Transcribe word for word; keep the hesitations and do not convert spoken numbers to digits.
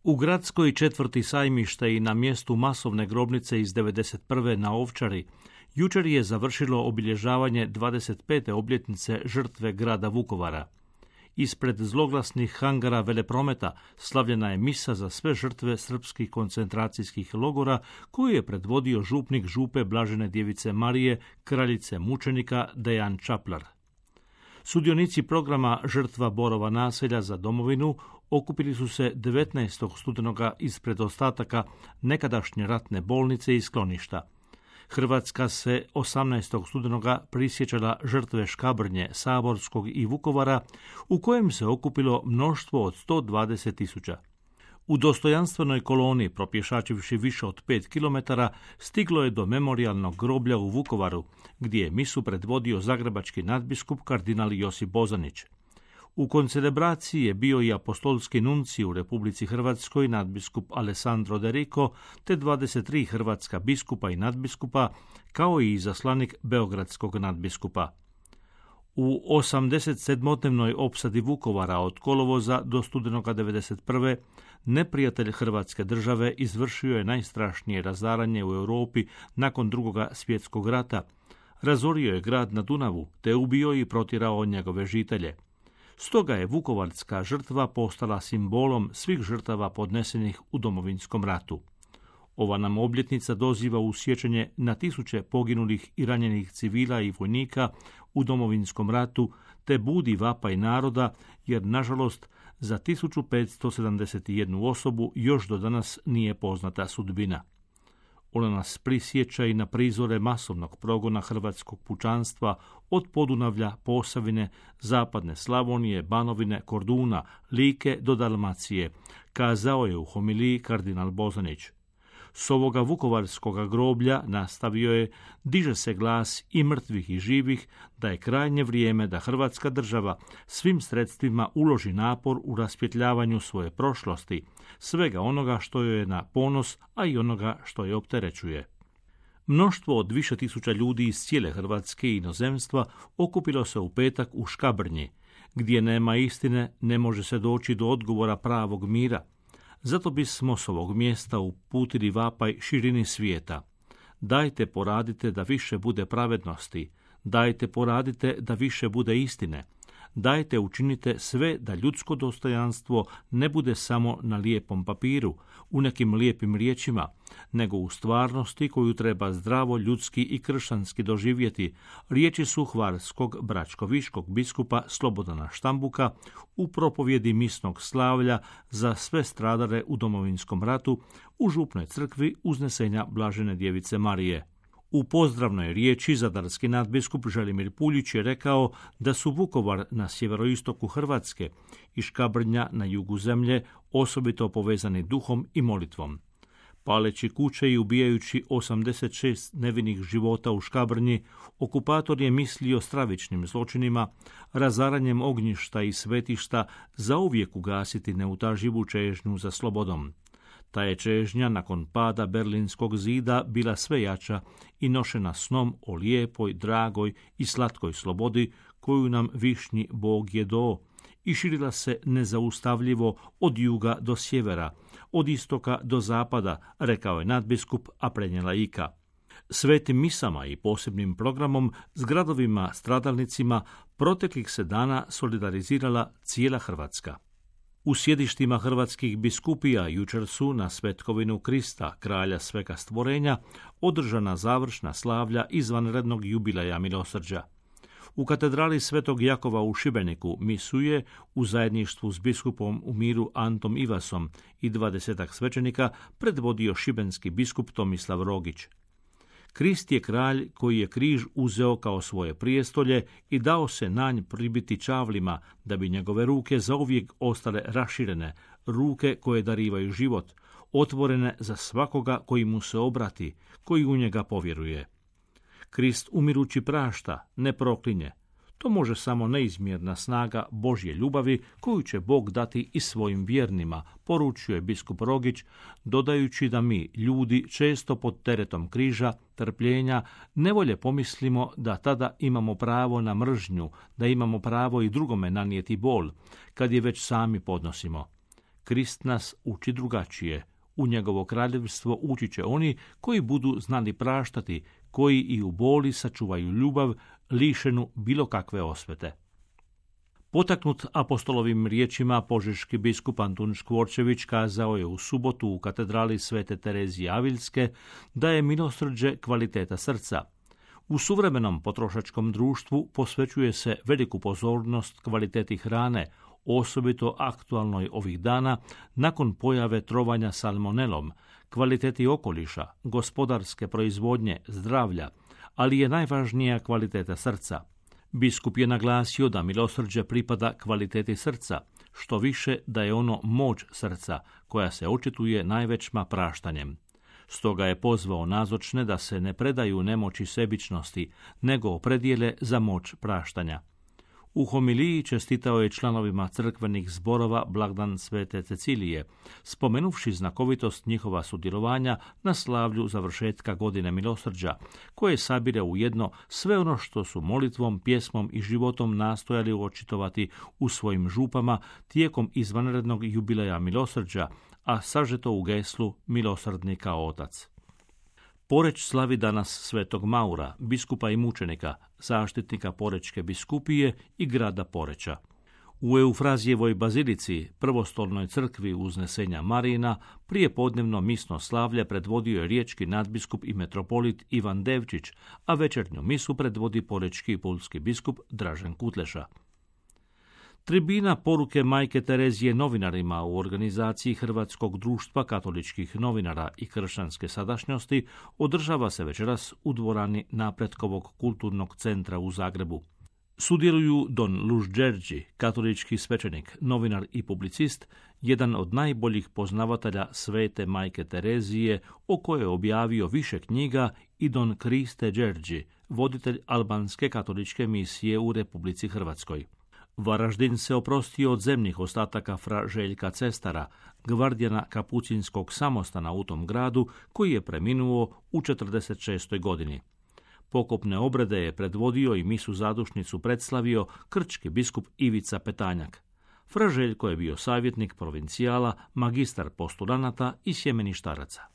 U gradskoj četvrti Sajmišta i na mjestu masovne grobnice iz devedeset prve na Ovčari jučer je završilo obilježavanje dvadeset pete obljetnice žrtve grada Vukovara. Ispred zloglasnih hangara Veleprometa slavljena je misa za sve žrtve srpskih koncentracijskih logora koju je predvodio župnik župe Blažene djevice Marije, kraljice mučenika Dejan Čaplar. Sudionici programa Žrtva Borova naselja za domovinu okupili su se devetnaestog studenoga ispred ostataka nekadašnje ratne bolnice i skloništa. Hrvatska se osamnaestog studenoga prisjećala žrtve Škabrnje, Saborskog i Vukovara, u kojem se okupilo mnoštvo od sto dvadeset tisuća. U dostojanstvenoj koloni, propješačivši više od pet kilometara, stiglo je do memorijalnog groblja u Vukovaru, gdje je misu predvodio zagrebački nadbiskup kardinal Josip Bozanić. U koncelebraciji je bio i apostolski nuncij u Republici Hrvatskoj nadbiskup Alessandro De Rico, te dvadeset tri hrvatska biskupa i nadbiskupa, kao i izaslanik beogradskog nadbiskupa. U osamdesetsedmodnevnoj opsadi Vukovara od kolovoza do studenoga devedeset prve neprijatelj Hrvatske države izvršio je najstrašnije razaranje u Europi nakon drugoga svjetskog rata. Razorio je grad na Dunavu, te ubio i protjerao njegove žitelje. Stoga je vukovarska žrtva postala simbolom svih žrtava podnesenih u Domovinskom ratu. Ova nam obljetnica doziva u sjećanje na tisuće poginulih i ranjenih civila i vojnika u Domovinskom ratu, te budi vapaj naroda, jer nažalost za tisuću petsto sedamdeset jednu osobu još do danas nije poznata sudbina. Ona nas prisjeća i na prizore masovnog progona hrvatskog pučanstva od Podunavlja, Posavine, Zapadne Slavonije, Banovine, Korduna, Like do Dalmacije, kazao je u homiliji kardinal Bozanić. S ovoga vukovarskoga groblja, nastavio je, diže se glas i mrtvih i živih da je krajnje vrijeme da Hrvatska država svim sredstvima uloži napor u rasvjetljavanju svoje prošlosti, svega onoga što joj je na ponos, a i onoga što je opterećuje. Mnoštvo od više tisuća ljudi iz cijele Hrvatske i inozemstva okupilo se u petak u Škabrnji. Gdje nema istine, ne može se doći do odgovora pravog mira. Zato bismo s ovog mjesta uputili vapaj širini svijeta. Dajte poradite da više bude pravednosti. Dajte poradite da više bude istine. Dajte učinite sve da ljudsko dostojanstvo ne bude samo na lijepom papiru, u nekim lijepim riječima, nego u stvarnosti koju treba zdravo ljudski i kršćanski doživjeti. Riječi su hvarskog bračkoviškog biskupa Slobodana Štambuka u propovjedi misnog slavlja za sve stradale u Domovinskom ratu u župnoj crkvi Uznesenja Blažene djevice Marije. U pozdravnoj riječi zadarski nadbiskup Želimir Puljić je rekao da su Vukovar na sjeveroistoku Hrvatske i Škabrnja na jugu zemlje osobito povezani duhom i molitvom. Paleći kuće i ubijajući osamdeset šest nevinih života u Škabrnji, okupator je mislio stravičnim zločinima, razaranjem ognjišta i svetišta zauvijek ugasiti neutaživu čežnju za slobodom. Ta je čežnja nakon pada Berlinskog zida bila sve jača i nošena snom o lijepoj, dragoj i slatkoj slobodi koju nam višnji Bog je dao i širila se nezaustavljivo od juga do sjevera, od istoka do zapada, rekao je nadbiskup, a prenijela Ika. Svetim misama i posebnim programom s gradovima stradalnicima proteklih se dana solidarizirala cijela Hrvatska. U sjedištima hrvatskih biskupija jučer su na svetkovinu Krista, kralja svega stvorenja, održana završna slavlja izvanrednog jubileja milosrđa. U katedrali Svetog Jakova u Šibeniku misu je u zajedništvu s biskupom u miru Antom Ivasom i dvadesetak svećenika predvodio šibenski biskup Tomislav Rogić. Krist je kralj koji je križ uzeo kao svoje prijestolje i dao se na nj pribiti čavlima, da bi njegove ruke zauvijek ostale raširene, ruke koje darivaju život, otvorene za svakoga koji mu se obrati, koji u njega povjeruje. Krist umirući prašta, ne proklinje. To može samo neizmjerna snaga Božje ljubavi koju će Bog dati i svojim vjernima, poručio je biskup Rogić, dodajući da mi, ljudi, često pod teretom križa, trpljenja, nevolje pomislimo da tada imamo pravo na mržnju, da imamo pravo i drugome nanijeti bol, kad je već sami podnosimo. Krist nas uči drugačije. U njegovo kraljevstvo ući će oni koji budu znali praštati, koji i u boli sačuvaju ljubav, lišenu bilo kakve osvete. Potaknut apostolovim riječima, požeški biskup Antun Škvorčević kazao je u subotu u katedrali Svete Terezije Aviljske da je milosrđe kvaliteta srca. U suvremenom potrošačkom društvu posvećuje se veliku pozornost kvaliteti hrane, osobito aktualnoj ovih dana nakon pojave trovanja salmonelom, kvaliteti okoliša, gospodarske proizvodnje, zdravlja, ali je najvažnija kvaliteta srca. Biskup je naglasio da milosrđe pripada kvaliteti srca, što više da je ono moć srca, koja se očituje najvećma praštanjem. Stoga je pozvao nazočne da se ne predaju nemoći sebičnosti, nego opredijele za moć praštanja. U homiliji čestitao je članovima crkvenih zborova blagdan Svete Cecilije, spomenuvši znakovitost njihova sudjelovanja na slavlju završetka godine milosrđa, koje sabire ujedno sve ono što su molitvom, pjesmom i životom nastojali očitovati u svojim župama tijekom izvanrednog jubileja milosrđa, a sažeto u geslu Milosrdnika Otac. Poreč slavi danas Svetog Maura, biskupa i mučenika, zaštitnika Porečke biskupije i grada Poreča. U Eufrazijevoj bazilici, prvostolnoj crkvi Uznesenja Marina, prije podnevno misno slavlje predvodio je riječki nadbiskup i metropolit Ivan Devčić, a večernju misu predvodi porečki i pulski biskup Dražen Kutleša. Tribina poruke Majke Terezije novinarima u organizaciji Hrvatskog društva katoličkih novinara i kršćanske sadašnjosti održava se večeras u dvorani Napretkovog kulturnog centra u Zagrebu. Sudjeluju Don Luž Đerđi, katolički svećenik, novinar i publicist, jedan od najboljih poznavatelja Svete Majke Terezije, o kojoj je objavio više knjiga, i Don Kriste Đerđi, voditelj albanske katoličke misije u Republici Hrvatskoj. Varaždin se oprostio od zemnih ostataka fra Željka Cestara, gvardijana kapucinskog samostana u tom gradu, koji je preminuo u četrdeset šestoj godini. Pokopne obrede je predvodio i misu zadušnicu predslavio krčki biskup Ivica Petanjak. Fra Željko je bio savjetnik provincijala, magistar postulanata i sjemeništaraca.